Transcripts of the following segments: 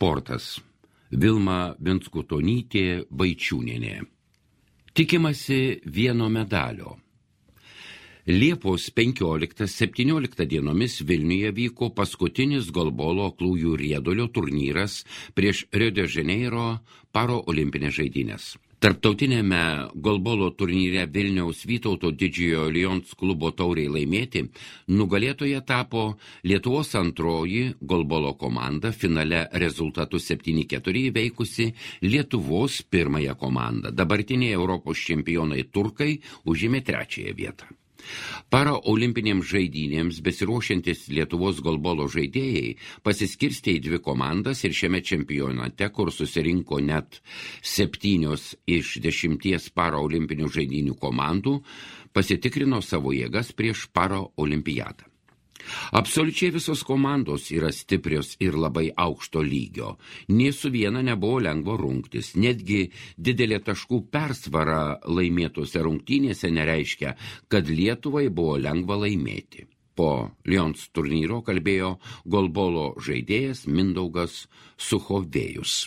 Sportas. Vilma Venskutonytė Vaičiūnienė. Tikimasi vieno medalio. Liepos 15-17 dienomis Vilniuje vyko paskutinis golbolo aklųjų riedulio turnyras prieš Rio de Janeiro paraolimpinės žaidynės. Tarptautinėme golbolo turnyre Vilniaus Vytauto Didžiojo Lions klubo tauriai laimėti nugalėtoja tapo Lietuvos antroji golbolo komanda, finale rezultatu 7-4 įveikusi Lietuvos pirmąją komandą. Dabartiniai Europos čempionai turkai užėmė 3 vietą. Paraolimpinėms žaidynėms besiruošiantis Lietuvos golbolo žaidėjai pasiskirstė į 2 komandas ir šiame čempionate, kur susirinko net 7 iš 10 paraolimpinių žaidynių komandų, pasitikrino savo jėgas prieš paraolimpiadą. Absoliučiai visos komandos yra stiprios ir labai aukšto lygio. Nė su viena nebuvo lengvo rungtis. Netgi didelė taškų persvara laimėtose rungtynėse nereiškia, kad Lietuvai buvo lengva laimėti. Po Lions turnyro kalbėjo golbolo žaidėjas Mindaugas Suchovėjus.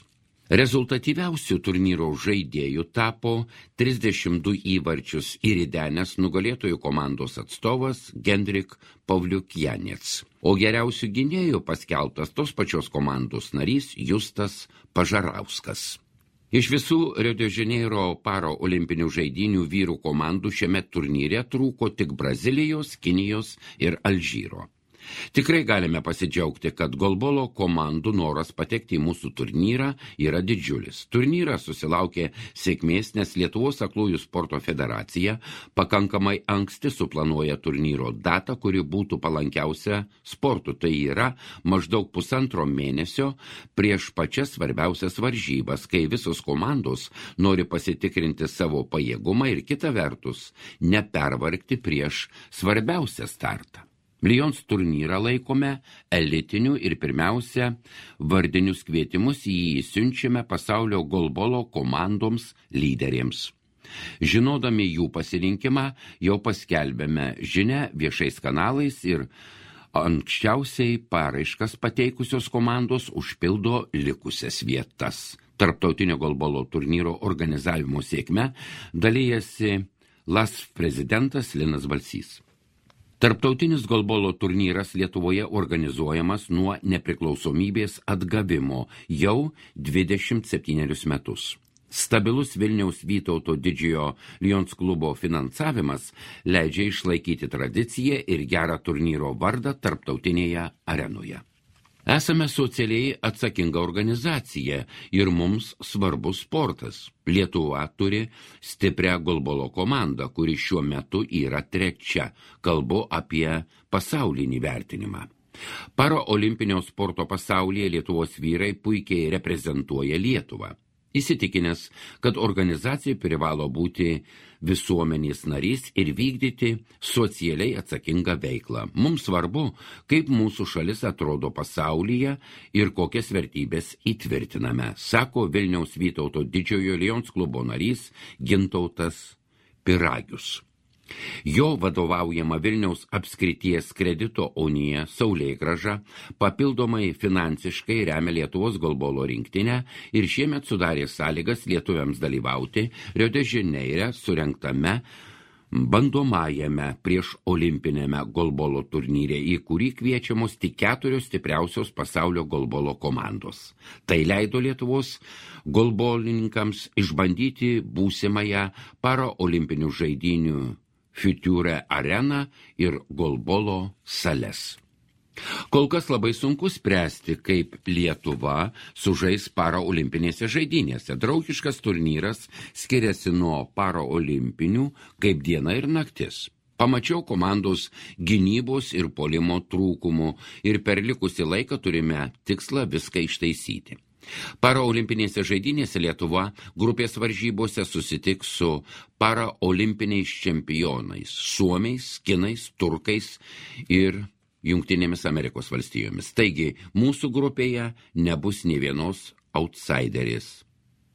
Rezultatyviausių turnyro žaidėjų tapo 32 įvarčius įridenęs nugalėtojų komandos atstovas Gendrik Pavliukjanets, o geriausių gynėjų paskelbtas tos pačios komandos narys Justas Pažarauskas. Iš visų Rio de Janeiro paraolimpinių žaidynių vyrų komandų šiame turnyre trūko tik Brazilijos, Kinijos ir Alžyro. Tikrai galime pasidžiaugti, kad golbolo komandų noras patekti į mūsų turnyrą yra didžiulis. Turnyras susilaukė sėkmės, nes Lietuvos aklųjų sporto federacija pakankamai anksti suplanuoja turnyro datą, kuri būtų palankiausia sportu. Tai yra maždaug 1,5 mėnesio prieš pačias svarbiausias varžybas, kai visos komandos nori pasitikrinti savo pajėgumą ir kita vertus nepervargti prieš svarbiausią startą. Lions turnyrą laikome elitiniu ir pirmiausia vardinius kvietimus į jį siunčiame pasaulio golbolo komandoms lyderiams. Žinodami jų pasirinkimą, jau paskelbėme žinią viešais kanalais ir anksčiausiai paraiškas pateikusios komandos užpildo likusias vietas. Tarptautinio golbolo turnyro organizavimo sėkme dalijasi LASF prezidentas Linas Balsys. Tarptautinis golbolo turnyras Lietuvoje organizuojamas nuo nepriklausomybės atgavimo jau 27 metus. Stabilus Vilniaus Vytauto Didžiojo Lions klubo finansavimas leidžia išlaikyti tradiciją ir gerą turnyro vardą tarptautinėje arenoje. Esame socialiai atsakinga organizacija ir mums svarbus sportas. Lietuva turi stiprią golbolo komandą, kuri šiuo metu yra 3. Kalbu apie pasaulinį vertinimą. Paraolimpinio sporto pasaulyje Lietuvos vyrai puikiai reprezentuoja Lietuvą. Įsitikinęs, kad organizacija privalo būti visuomenės narys ir vykdyti socialiai atsakingą veiklą. Mums svarbu, kaip mūsų šalis atrodo pasaulyje ir kokias vertybės įtvirtiname, sako Vilniaus Vytauto Didžiojo Lions klubo narys Gintautas Piragius. Jo vadovaujama Vilniaus apskrities kredito unija Saulėgrąža papildomai finansiškai remia Lietuvos golbolo rinktinę ir šiemet sudarė sąlygas lietuviams dalyvauti Rio de Janeire surengtame bandomajame prieš olimpinėme golbolo turnyre, į kurį kviečiamos tik 4 stipriausios pasaulio golbolo komandos. Tai leido Lietuvos golbolininkams išbandyti būsimąją paraolimpinių žaidynių Future areną ir golbolo sales. Kol kas labai sunku spręsti, kaip Lietuva sužais paraolimpinėse žaidynėse. Draugiškas turnyras skiriasi nuo paraolimpinių kaip diena ir naktis. Pamačiau komandos gynybos ir puolimo trūkumų ir per likusį laiką turime tikslą viską ištaisyti. Paraolimpinėse žaidynėse Lietuva grupės varžybose susitiks su paraolimpiniais čempionais, suomiais, kinais, turkais ir Jungtinėmis Amerikos valstijomis. Taigi, mūsų grupėje nebus nė vienos outsiderės.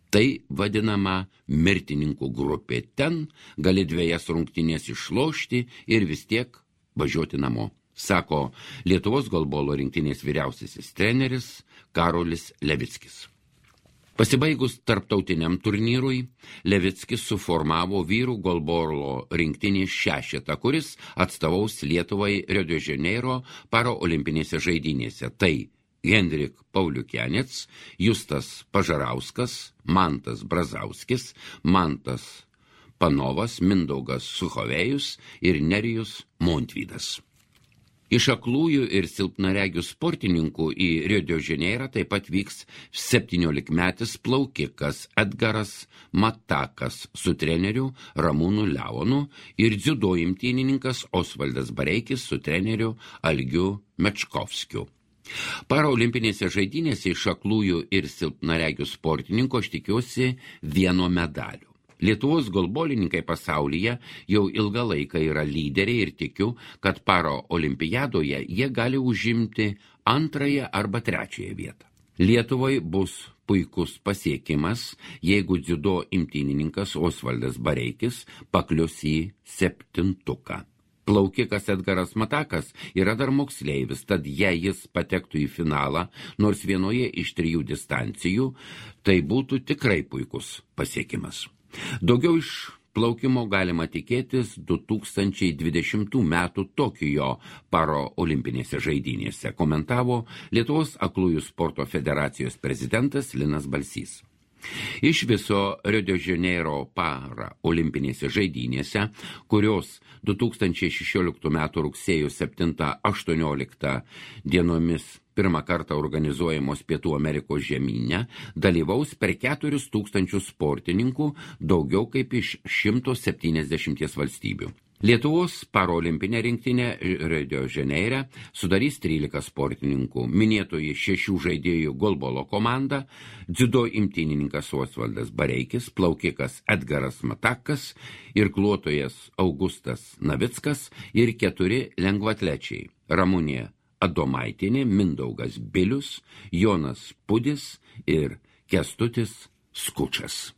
Tai vadinama mirtininkų grupė. Ten gali 2 rungtynės išlošti ir vis tiek važiuoti namo, sako Lietuvos golbolo rinktinės vyriausiasis treneris Karolis Levickis. Pasibaigus tarptautiniam turnyrui, Levickis suformavo vyrų golbolo rinktinės šešetą, kuris atstovaus Lietuvai Rio de Janeiro paraolimpinėse žaidynėse. Tai Henrik Pauliukianec, Justas Pažarauskas, Mantas Brazauskis, Mantas Panovas, Mindaugas Suchovėjus ir Nerijus Montvydas. Iš aklųjų ir silpnaregių sportininkų į Rio de Janeirą taip pat vyks 17-metis plaukikas Edgaras Matakas su treneriu Ramūnu Leonu ir dziudo imtynininkas Osvaldas Bareikis su treneriu Algiu Mečkovskiu. Paraolimpinėse žaidynėse iš aklųjų ir silpnaregių sportininkų aš tikiuosi vieno medalio. Lietuvos golbolininkai pasaulyje jau ilgą laiką yra lyderiai ir tikiu, kad paraolimpiadoje jie gali užimti 2. arba 3. vietą. Lietuvai bus puikus pasiekimas, jeigu dziudo imtynininkas Osvaldas Bareikis paklius į 7. Plaukikas Edgaras Matakas yra dar moksleivis, tad jei jis patektų į finalą, nors vienoje iš 3 distancijų, tai būtų tikrai puikus pasiekimas. Daugiau iš plaukimo galima tikėtis 2020 metų Tokijo paraolimpinėse žaidynėse, komentavo Lietuvos aklųjų sporto federacijos prezidentas Linas Balsys. Iš viso Rio de Janeiro paraolimpinėse žaidynėse, kurios 2016 m. rugsėjo 7-18 dienomis pirmą kartą organizuojamos Pietų Amerikos žemyne, dalyvaus per 4000 sportininkų, daugiau kaip iš 170 valstybių. Lietuvos paraolimpinė rinktinė Rio de Janeire sudarys 13 sportininkų, minėtoji 6 žaidėjų golbolo komanda, dziudo imtynininkas Osvaldas Bareikis, plaukikas Edgaras Matakas, irkluotojas Augustas Navickas ir 4 lengvaatlečiai Ramunė Adomaitinė, Mindaugas Bilius, Jonas Pudis ir Kęstutis Skučas.